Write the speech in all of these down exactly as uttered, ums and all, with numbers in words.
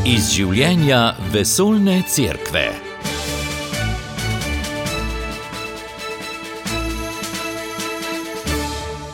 Iz življenja vesoljne cerkve.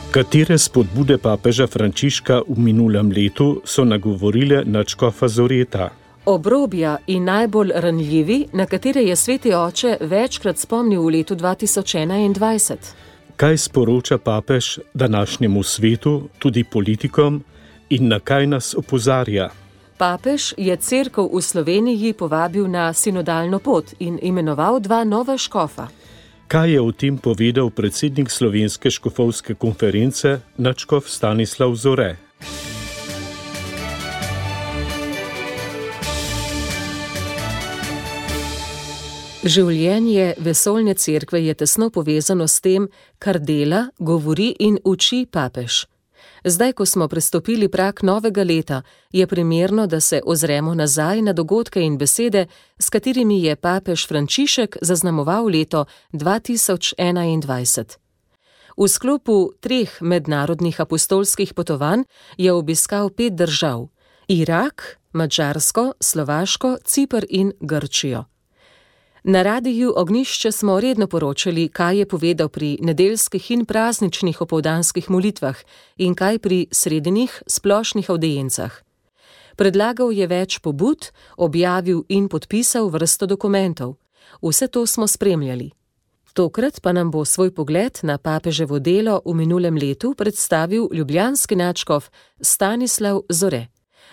Katere spodbude papeža Frančiška v minulem letu so nagovorile nadškofa Zoreta? Obrobja in najbolj ranljivi, na katere je sveti oče večkrat spomnil v letu dva tisoč enaindvajset. Kaj sporoča papež današnjemu svetu, tudi politikom, in na kaj nas opozarja? Papež je cerkev v Sloveniji povabil na sinodalno pot in imenoval dva nova škofa. Kaj je o tem povedal predsednik Slovenske škofovske konference, nadškof Stanislav Zore? Življenje vesoljne cerkve je tesno povezano s tem, kar dela, govori in uči papež. Zdaj, ko smo prestopili prag novega leta, je primerno, da se ozremo nazaj na dogodke in besede, s katerimi je papež Frančišek zaznamoval leto dva tisoč enaindvajset. V sklopu treh mednarodnih apostolskih potovanj je obiskal pet držav: Irak, Madžarsko, Slovaško, Ciper in Grčijo. Na radiju Ognjišče smo redno poročali, kaj je povedal pri nedeljskih in prazničnih opoldanskih molitvah in kaj pri srednjih splošnih avdiencah. Predlagal je več pobud, objavil in podpisal vrsto dokumentov. Vse to smo spremljali. Tokrat pa nam bo svoj pogled na papeževo delo v minulem letu predstavil ljubljanski nadškof Stanislav Zore.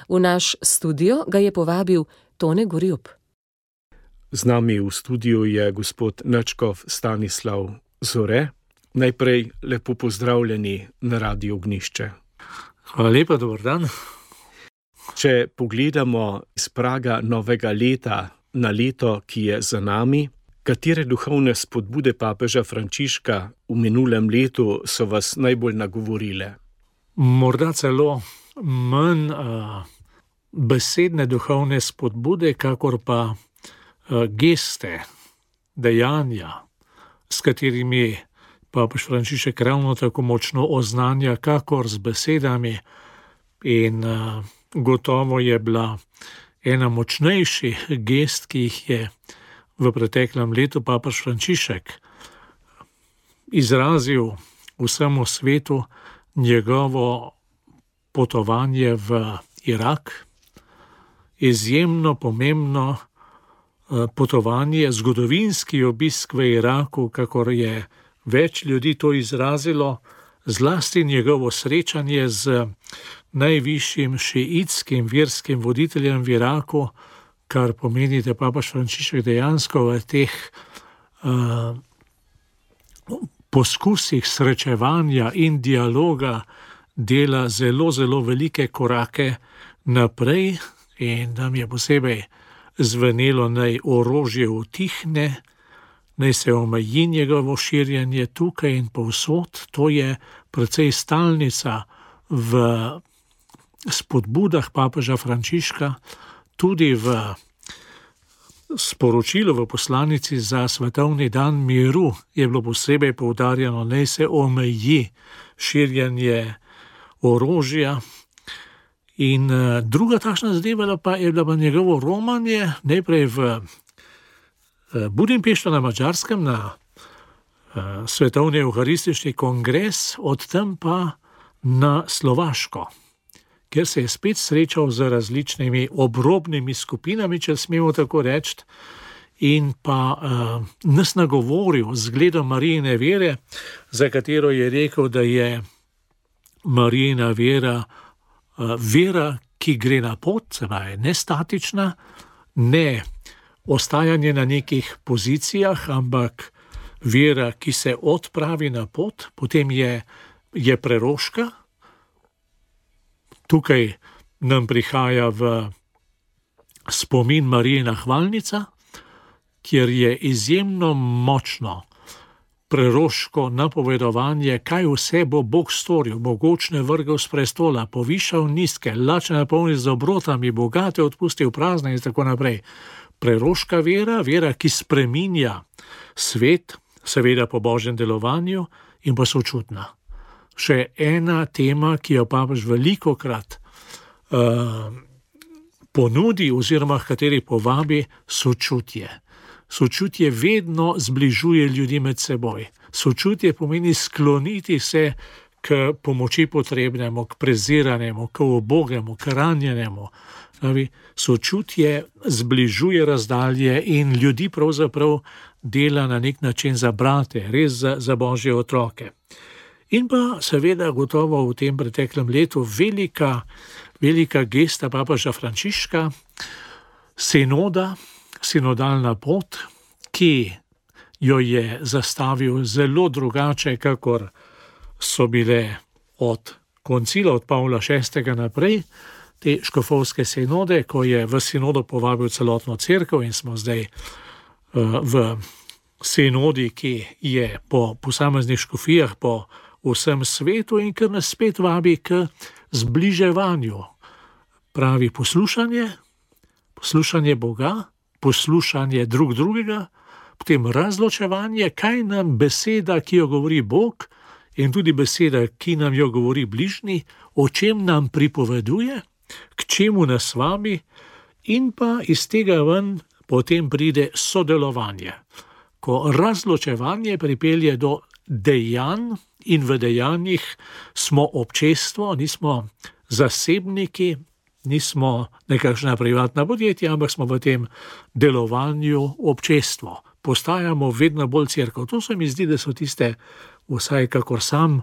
V naš studio ga je povabil Tone Gorjup. Z nami v studiu je gospod nadškof Stanislav Zore. Najprej lepo pozdravljeni na Radiu Ognjišče. Hvala lepa, dober dan. Če pogledamo iz praga novega leta na leto, ki je za nami, katere duhovne spodbude papeža Frančiška v minulem letu so vas najbolj nagovorile? Morda celo manj uh, besedne duhovne spodbude, kakor pa geste, dejanja, s katerimi papež Frančišek ravno tako močno oznanja, kakor z besedami, in uh, gotovo je bila ena močnejših gest, ki jih je v preteklem letu papež Frančišek izrazil vsemu svetu, njegovo potovanje v Irak, izjemno pomembno potovanje, zgodovinski obisk v Iraku, kakor je več ljudi to izrazilo, zlasti njegovo srečanje z najvišjim šiitskim verskim voditeljem v Iraku, kar pomeni, da papež Frančišek dejansko v teh uh, poskusih srečevanja in dialoga dela zelo, zelo velike korake naprej, in nam je posebej zvenelo, naj orožje utihne, naj se omeji njegovo širjenje tukaj in povsod. To je precej stalnica v spodbudah papeža Frančiška, tudi v sporočilu v poslanici za svetovni dan miru je bilo posebej poudarjeno, naj se omeji širjenje orožja. In uh, druga takšna zadeva pa je bila pa njegovo romanje, najprej v uh, Budimpešti na Madžarskem na uh, svetovni evharistični kongres, od tam pa na Slovaško, kjer se je spet srečal z različnimi obrobnimi skupinami, če smemo tako reči, in pa uh, nas nagovoril z zgledom Marijine vere, za katero je rekel, da je Marijina vera vera, ki gre na pot, se pravi, ne statična, ne ostajanje na nekih pozicijah, ampak vera, ki se odpravi na pot. Potem je, je preroška. Tukaj nam prihaja v spomin Marijina hvalnica, kjer je izjemno močno preroško napovedovanje, kaj vse bo Bog storil, mogočne vrgel s prestola, povišal nizke, lačne napolnil z dobrotami, bogate odpustil prazne in tako naprej. Preroška vera, vera, ki spreminja svet, seveda po božjem delovanju, in pa sočutna. Še ena tema, ki jo papež velikokrat uh, ponudi oziroma h kateri povabi sočutje. Sočutje vedno zbližuje ljudi med seboj. Sočutje pomeni skloniti se k pomoči potrebnemu, k preziranemu, k ubogemu, k ranjenemu. Sočutje zbližuje razdalje in ljudi pravzaprav dela na nek način za brate, res za, za Božje otroke. In pa seveda gotovo v tem preteklem letu velika, velika gesta papeža Frančiška, sinoda, sinodalna pot, ki jo je zastavil zelo drugače, kakor so bile od koncila, od Pavla šestega naprej, te škofovske sinode, ko je v sinodo povabil celotno cerkev in smo zdaj uh, v sinodi, ki je po posameznih škofijah, po vsem svetu in kar nas spet vabi k zbliževanju. Pravi poslušanje, poslušanje Boga, poslušanje drug drugega, potem razločevanje, kaj nam beseda, ki jo govori Bog, in tudi beseda, ki nam jo govori bližnji, o čem nam pripoveduje, k čemu nas vabi, in pa iz tega ven potem pride sodelovanje. Ko razločevanje pripelje do dejanj in v dejanjih smo občestvo, nismo zasebniki, nismo nekakšna privatna podjetja, ampak smo v tem delovanju občestvo. Postajamo vedno bolj cerkev. To se mi zdi, da so tiste, vsaj kakor sam uh,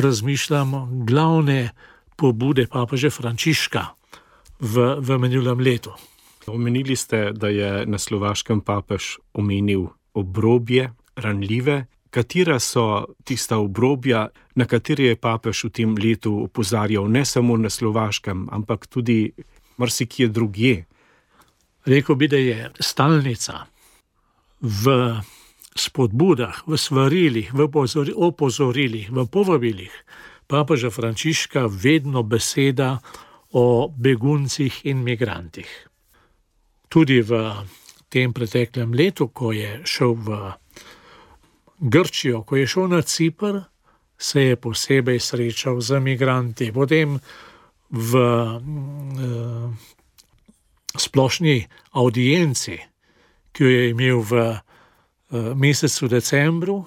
razmišljam, glavne pobude papeža Frančiška v, v minulem letu. Omenili ste, da je na Slovaškem papež omenil obrobje, ranljive. Katera so tista obrobja, na katere je papež v tem letu opozarjal, ne samo na Slovaškem, ampak tudi marsikje drugje? Rekel bi, da je stalnica v spodbudah, v svarilih, v opozorilih, v povabilih papeža Frančiška vedno beseda o beguncih in migrantih. Tudi v tem preteklem letu, ko je šel v Grčijo, ko je šel na Cipr, se je posebej srečal z migranti. Potem v uh, splošni audienci, ki jo je imel v uh, mesecu decembru,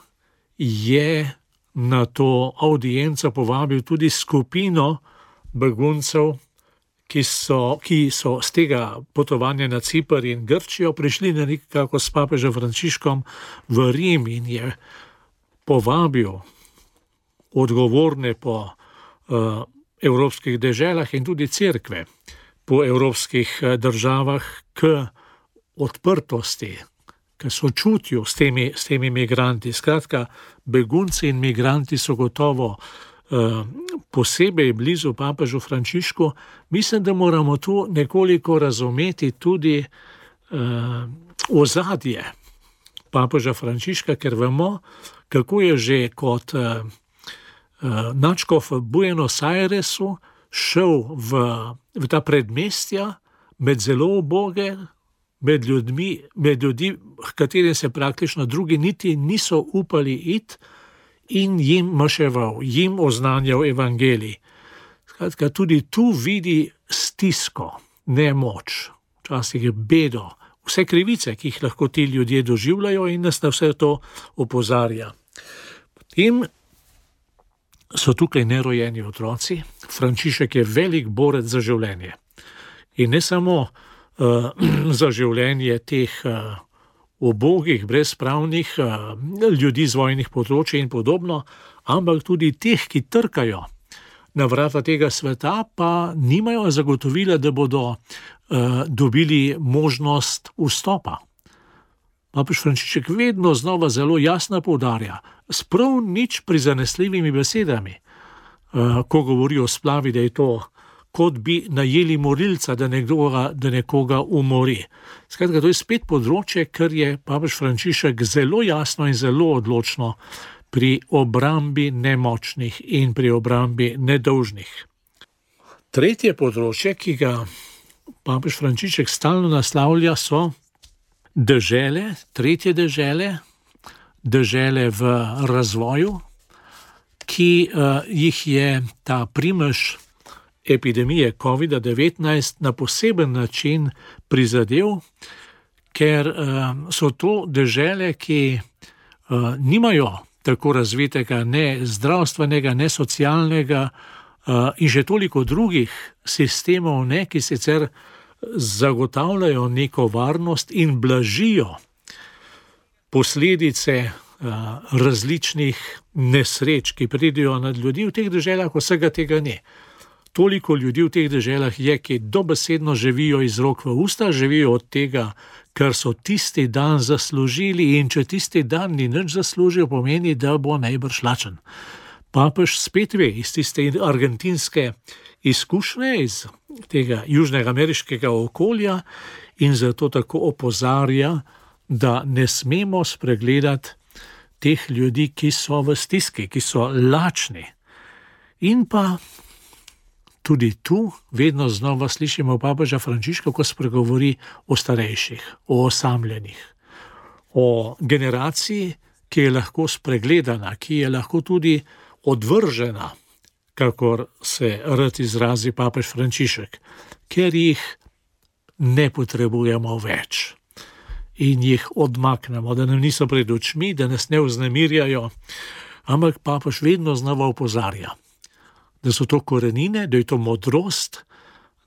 je na to audienco povabil tudi skupino beguncev, ki so, ki so z tega potovanja na Cipr in Grčijo prišli na nekako s papežem Frančiškom v Rim in je povabil odgovorne po uh, evropskih deželah in tudi cerkve po evropskih državah k odprtosti, k sočutju s temi, s temi migranti. Skratka, begunci in migranti so gotovo uh, posebej blizu papežu Frančišku. Mislim, da moramo tu nekoliko razumeti tudi uh, ozadje papeža Frančiška, ker vemo, kako je že kot uh, uh, nadškof v Buenos Airesu šel v, v ta predmestja med zelo uboge, med ljudmi, med ljudi, h katerim se praktično drugi niti niso upali iti, in jim maševal, jim oznanjal evangelij. Skratka, tudi tu vidi stisko, nemoč, včasih bedo, vse krivice, ki jih lahko ti ljudje doživljajo in nas na vse to opozarja. Potem so tukaj nerojeni otroci. Frančišek je velik borec za življenje. In ne samo uh, za življenje teh uh, ubogih, brezpravnih uh, ljudi z vojnih področij in podobno, ampak tudi teh, ki trkajo na vrata tega sveta, pa nimajo zagotovila, da bodo uh, dobili možnost vstopa. Papež Frančišek vedno znova zelo jasno poudarja, s prav nič prizanesljivimi besedami, uh, ko govori o splavi, da je to, kot bi najeli morilca, da, nekdoga, da nekoga umori. Skratka, to je spet področje, ker je papež Frančišek zelo jasno in zelo odločno pri obrambi nemočnih in pri obrambi nedolžnih. Tretje področje, ki ga papež Frančišek stalno naslavlja, so dežele, tretje dežele, dežele v razvoju, ki uh, jih je ta primež epidemije covida devetnajst na poseben način prizadel, ker uh, so to dežele, ki uh, nimajo tako razvitega ne zdravstvenega, ne socialnega uh, in že toliko drugih sistemov, ne, ki sicer zagotavljajo neko varnost in blažijo posledice uh, različnih nesreč, ki pridejo nad ljudi. V teh deželah vsega tega ne. Toliko ljudi v teh deželah je, ki dobesedno živijo iz rok v usta, živijo od tega, kar so tisti dan zaslužili, in če tisti dan ni nič zaslužil, pomeni, da bo najbrž lačen. Papež spet ve iz tiste argentinske izkušnje, iz tega južnega ameriškega okolja, in zato tako opozarja, da ne smemo spregledati teh ljudi, ki so v stiski, ki so lačni. In pa tudi tu vedno znova slišimo papeža Frančiška, ko spregovori o starejših, o osamljenih, o generaciji, ki je lahko spregledana, ki je lahko tudi odvržena, kakor se rad izrazi papež Frančišek, ker jih ne potrebujemo več in jih odmaknemo, da nam niso pred očmi, da nas ne vznemirjajo, ampak papež vedno znova opozarja, da so to korenine, da je to modrost,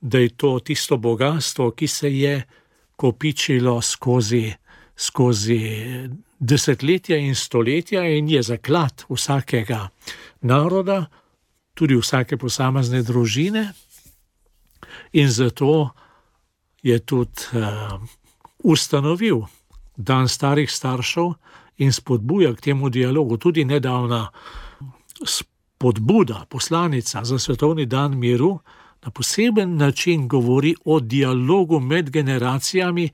da je to tisto bogatstvo, ki se je kopičilo skozi, skozi desetletja in stoletja in je zaklad vsakega naroda, tudi vsake posamezne družine, in zato je tudi uh, ustanovil dan starih staršev in spodbuja k temu dialogu. Tudi nedavna spodbuda, poslanica za svetovni dan miru, na poseben način govori o dialogu med generacijami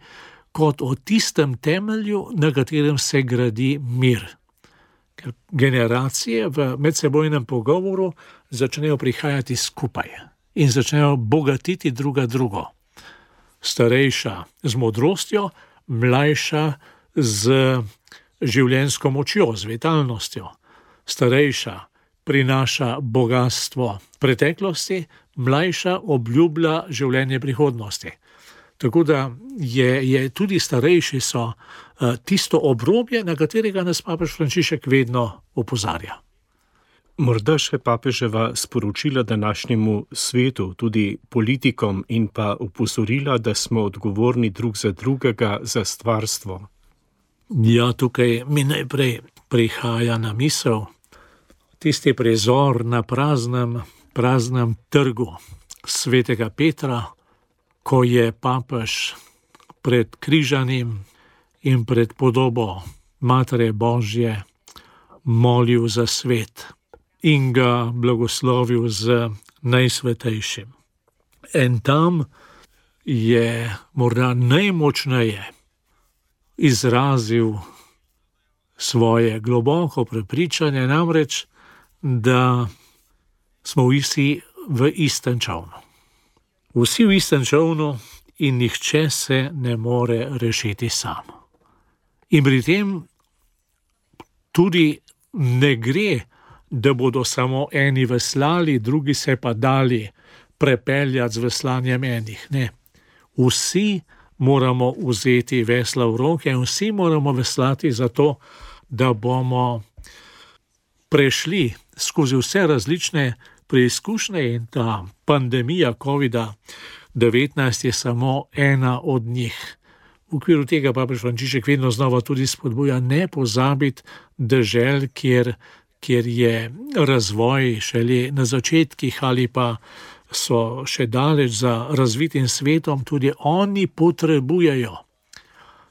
kot o tistem temelju, na katerem se gradi mir. Ker generacije v medsebojnem pogovoru začnejo prihajati skupaj in začnejo bogatiti druga drugo. Starejša z modrostjo, mlajša z življenjsko močjo, z vitalnostjo. Starejša prinaša bogatstvo preteklosti, mlajša obljublja življenje prihodnosti. Tako da je, je tudi starejši so uh, tisto obrobje, na katerega nas papež Frančišek vedno opozarja. Morda še papeževa sporočila današnjemu svetu, tudi politikom, in pa opozorila, da smo odgovorni drug za drugega za stvarstvo. Ja, tukaj mi najprej prihaja na misel tisti prizor na praznem, praznem trgu svetega Petra, ko je papež pred križanim in pred podobo Matere Božje molil za svet in ga blagoslovil z najsvetejšim. In tam je morda najmočneje izrazil svoje globoko prepričanje, namreč, da smo vsi v istem čovnu. Vsi v istem čovnu in nihče se ne more rešiti sam. In pri tem tudi ne gre, da bodo samo eni veslali, drugi se pa dali prepeljati z veslanjem enih. Ne. Vsi moramo vzeti vesla v roke in vsi moramo veslati zato, da bomo prešli skozi vse različne preizkušnje, in ta pandemija covida devetnajst je samo ena od njih. V okviru tega papež Frančišek vedno znova tudi spodbuja ne pozabiti dežel, kjer, kjer je razvoj šele na začetkih ali pa so še daleč za razvitim svetom, tudi oni potrebujejo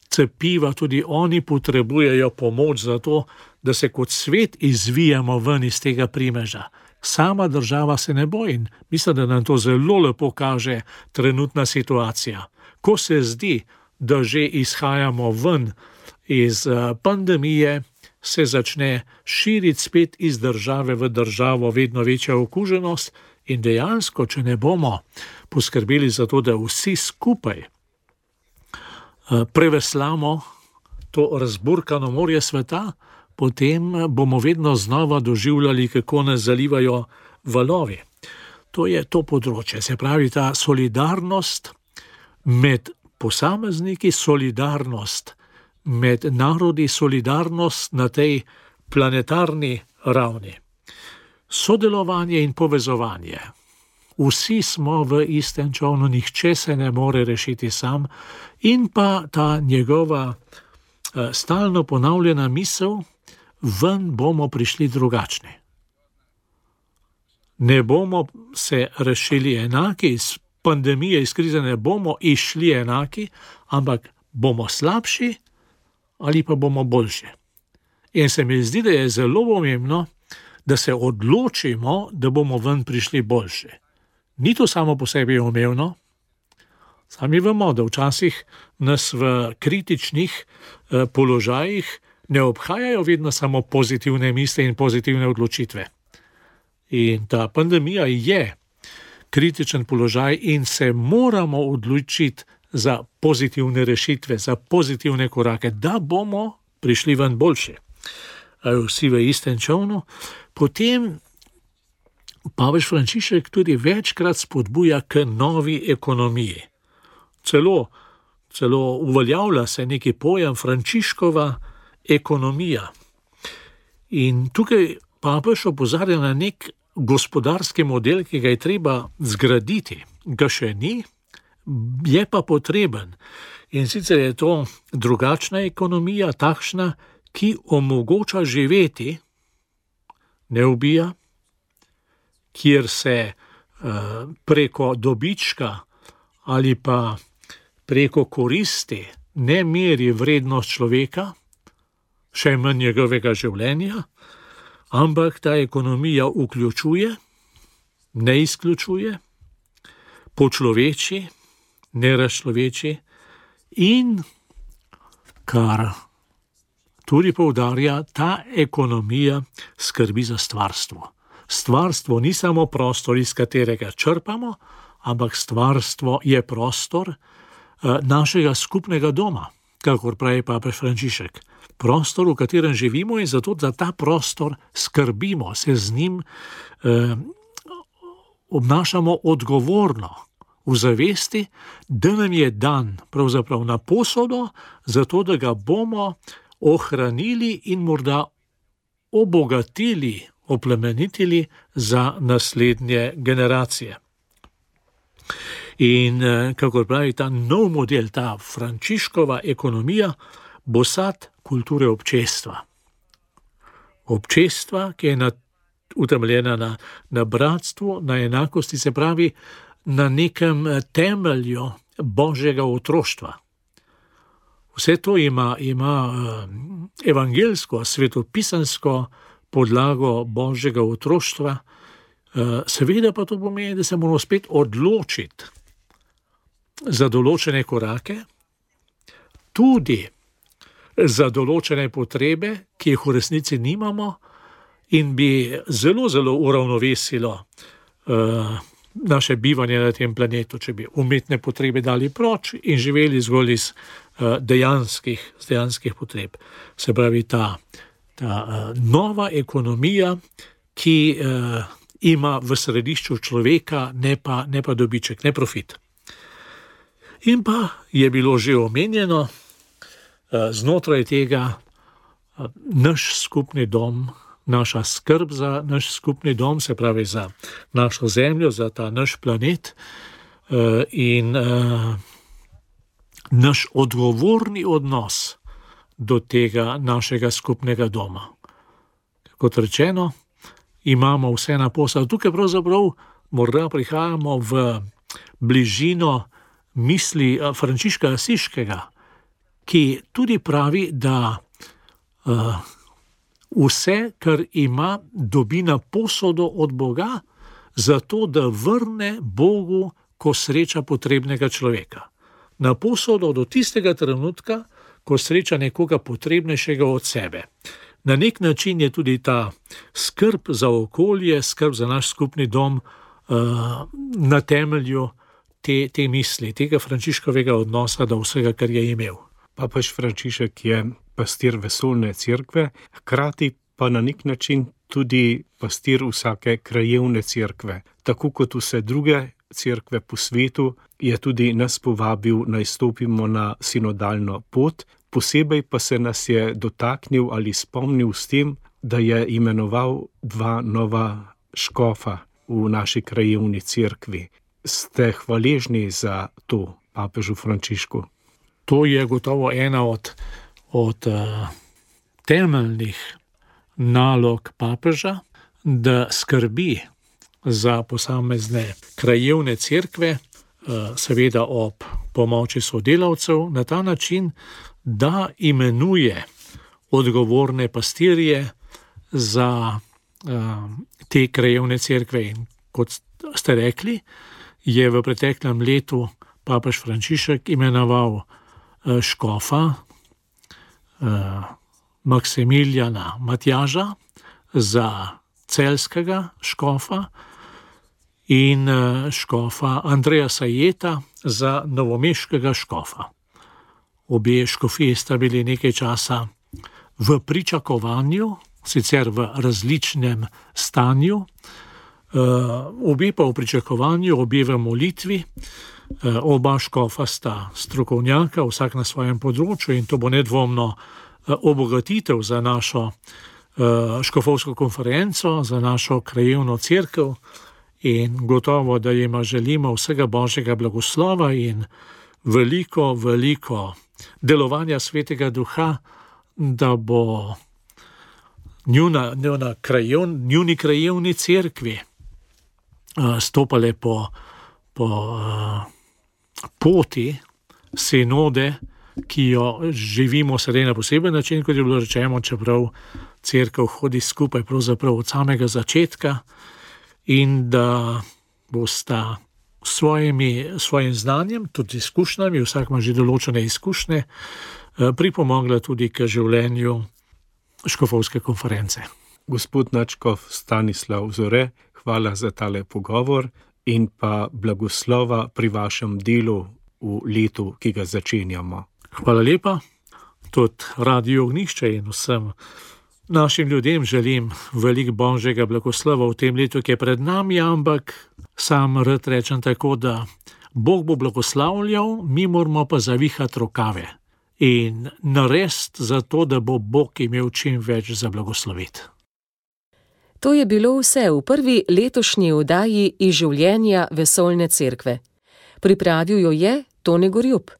cepiva, tudi oni potrebujejo pomoč za to, da se kot svet izvijamo ven iz tega primeža. Sama država se ne bo, in mislim, da nam to zelo lepo kaže trenutna situacija. Ko se zdi, da že izhajamo ven iz pandemije, se začne širiti spet iz države v državo vedno večja okuženost, in dejansko, če ne bomo poskrbeli za to, da vsi skupaj preveslamo to razburkano morje sveta, potem bomo vedno znova doživljali, kako nas zalivajo valovi. to je to področje, se pravi ta solidarnost med posamezniki, solidarnost med narodi, solidarnost na tej planetarni ravni. Sodelovanje in povezovanje. Vsi smo v istem čolnu, nihče se ne more rešiti sam, in pa ta njegova eh, stalno ponavljena misel, ven bomo prišli drugačni. Ne bomo se rešili enaki, iz pandemije, iz krize ne bomo išli enaki, ampak bomo slabši ali pa bomo boljši. In se mi zdi, da je zelo pomembno, da se odločimo, da bomo ven prišli boljši. Ni to samo po sebi umevno. Sami vemo, da včasih nas v kritičnih eh, položajih ne obhajajo vedno samo pozitivne misli in pozitivne odločitve. In ta pandemija je kritičen položaj in se moramo odločiti za pozitivne rešitve, za pozitivne korake, da bomo prišli ven boljši. Vsi v istem čolnu. Potem papež Frančišek tudi večkrat spodbuja k novi ekonomiji. Celo, celo uveljavlja se neki pojem Frančiškova ekonomija. In tukaj papež opozarja na nek gospodarski model, ki ga je treba zgraditi. Ga še ni, je pa potreben. In sicer je to drugačna ekonomija, takšna, ki omogoča živeti, ne ubija, kjer se uh, preko dobička ali pa preko koristi ne meri vrednost človeka, še manj njegovega življenja, ampak ta ekonomija vključuje, ne izključuje, počloveči, ne razčloveči in, kar tudi poudarja, ta ekonomija skrbi za stvarstvo. Stvarstvo ni samo prostor, iz katerega črpamo, ampak stvarstvo je prostor uh, našega skupnega doma, kakor pravi papež Frančišek. Prostor, v katerem živimo, in zato za ta prostor skrbimo, se z njim eh, obnašamo odgovorno, v zavesti, da nam je dan pravzaprav na posodo, zato da ga bomo ohranili in morda obogatili, oplemenitili za naslednje generacije. In eh, kakor pravi ta nov model, ta Frančiškova ekonomija, bo sad kulture občestva. Občestva, ki je na, utemeljena na, na bratstvu, na enakosti, se pravi na nekem temelju božjega otroštva. Vse to ima, ima evangelsko, svetopisansko podlago božjega otroštva, seveda pa to pomeni, da se moramo spet odločiti za določene korake, tudi za določene potrebe, ki jih v resnici nimamo in bi zelo, zelo uravnovesilo uh, naše bivanje na tem planetu, če bi umetne potrebe dali proč in živeli zgolj iz uh, dejanskih, dejanskih potreb. Se pravi, ta, ta uh, nova ekonomija, ki uh, ima v središču človeka, ne pa, ne pa dobiček, ne profit. In pa je bilo že omenjeno, znotraj tega naš skupni dom, naša skrb za naš skupni dom, se pravi za našo zemljo, za ta naš planet in naš odgovorni odnos do tega našega skupnega doma. Kot rečeno, imamo vse na posel. Tukaj pravzaprav morda prihajamo v bližino misli Frančiška Asiškega, ki tudi pravi, da uh, vse, kar ima, dobi na posodo od Boga, zato da vrne Bogu, ko sreča potrebnega človeka. Na posodo do tistega trenutka, ko sreča nekoga potrebnejšega od sebe. Na nek način je tudi ta skrb za okolje, skrb za naš skupni dom uh, na temelju te, te misli, tega Frančiškovega odnosa do vsega, kar je imel. Papež Frančišek je pastir vesoljne cerkve, hkrati pa na nek način tudi pastir vsake krajevne cerkve. Tako kot vse druge cerkve po svetu, je tudi nas povabil, naj stopimo na sinodalno pot, posebej pa se nas je dotaknil ali spomnil s tem, da je imenoval dva nova škofa v naši krajevni cerkvi. Ste hvaležni za to papežu Frančišku? To je gotovo ena od, od uh, temeljnih nalog papeža, da skrbi za posamezne krajevne cerkve, uh, seveda ob pomoči sodelavcev, na ta način, da imenuje odgovorne pastirje za uh, te krajevne cerkve. In kot ste rekli, je v preteklem letu papež Frančišek imenoval uh, škofa uh, Maksimiljana Matjaža za celjskega škofa in uh, škofa Andreja Sajeta za novomeškega škofa. Obe škofiji sta bili nekaj časa v pričakovanju, sicer v različnem stanju, obe pa v pričakovanju, obe v molitvi. Oba škofa sta strokovnjaka, vsak na svojem področju, in to bo nedvomno obogatitev za našo škofovsko konferenco, za našo krajevno cerkev, in gotovo, da jima želimo vsega Božjega blagoslova in veliko, veliko delovanja Svetega Duha, da bo njuna, njuna krajevn, njuni krajevni cerkvi uh, stopale po, po uh, poti sinode, ki jo živimo sedaj na poseben način, kot je bilo rečeno, čeprav cerkev hodi skupaj pravzaprav od samega začetka, in da bosta svojimi, svojim znanjem, tudi izkušnjami, vsak ima že določene izkušnje, pripomogla tudi k življenju škofovske konference. Gospod nadškof Stanislav Zore, hvala za tale pogovor in pa blagoslova pri vašem delu v letu, ki ga začenjamo. Hvala lepa, tudi Radio Ognjišče in vsem našim ljudem želim veliko Božjega blagoslova v tem letu, ki je pred nami, ampak sam rad rečem tako, da Bog bo blagoslavljal, mi moramo pa zavihati rokave in narediti za to, da bo Bog imel čim več za blagosloviti. To je bilo vse v prvi letošnji oddaji iz življenja Vesoljne cerkve. Pripravil jo je Tone Gorjup.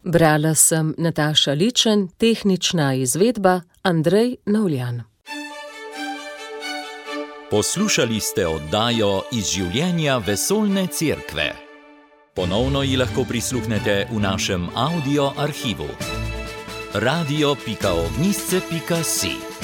Brala sem Nataša Ličen, tehnična izvedba Andrej Navljan. Poslušali ste oddajo iz življenja Vesoljne cerkve. Ponovno ji lahko prisluhnete v našem audio arhivu. radio pika ognjišče pika si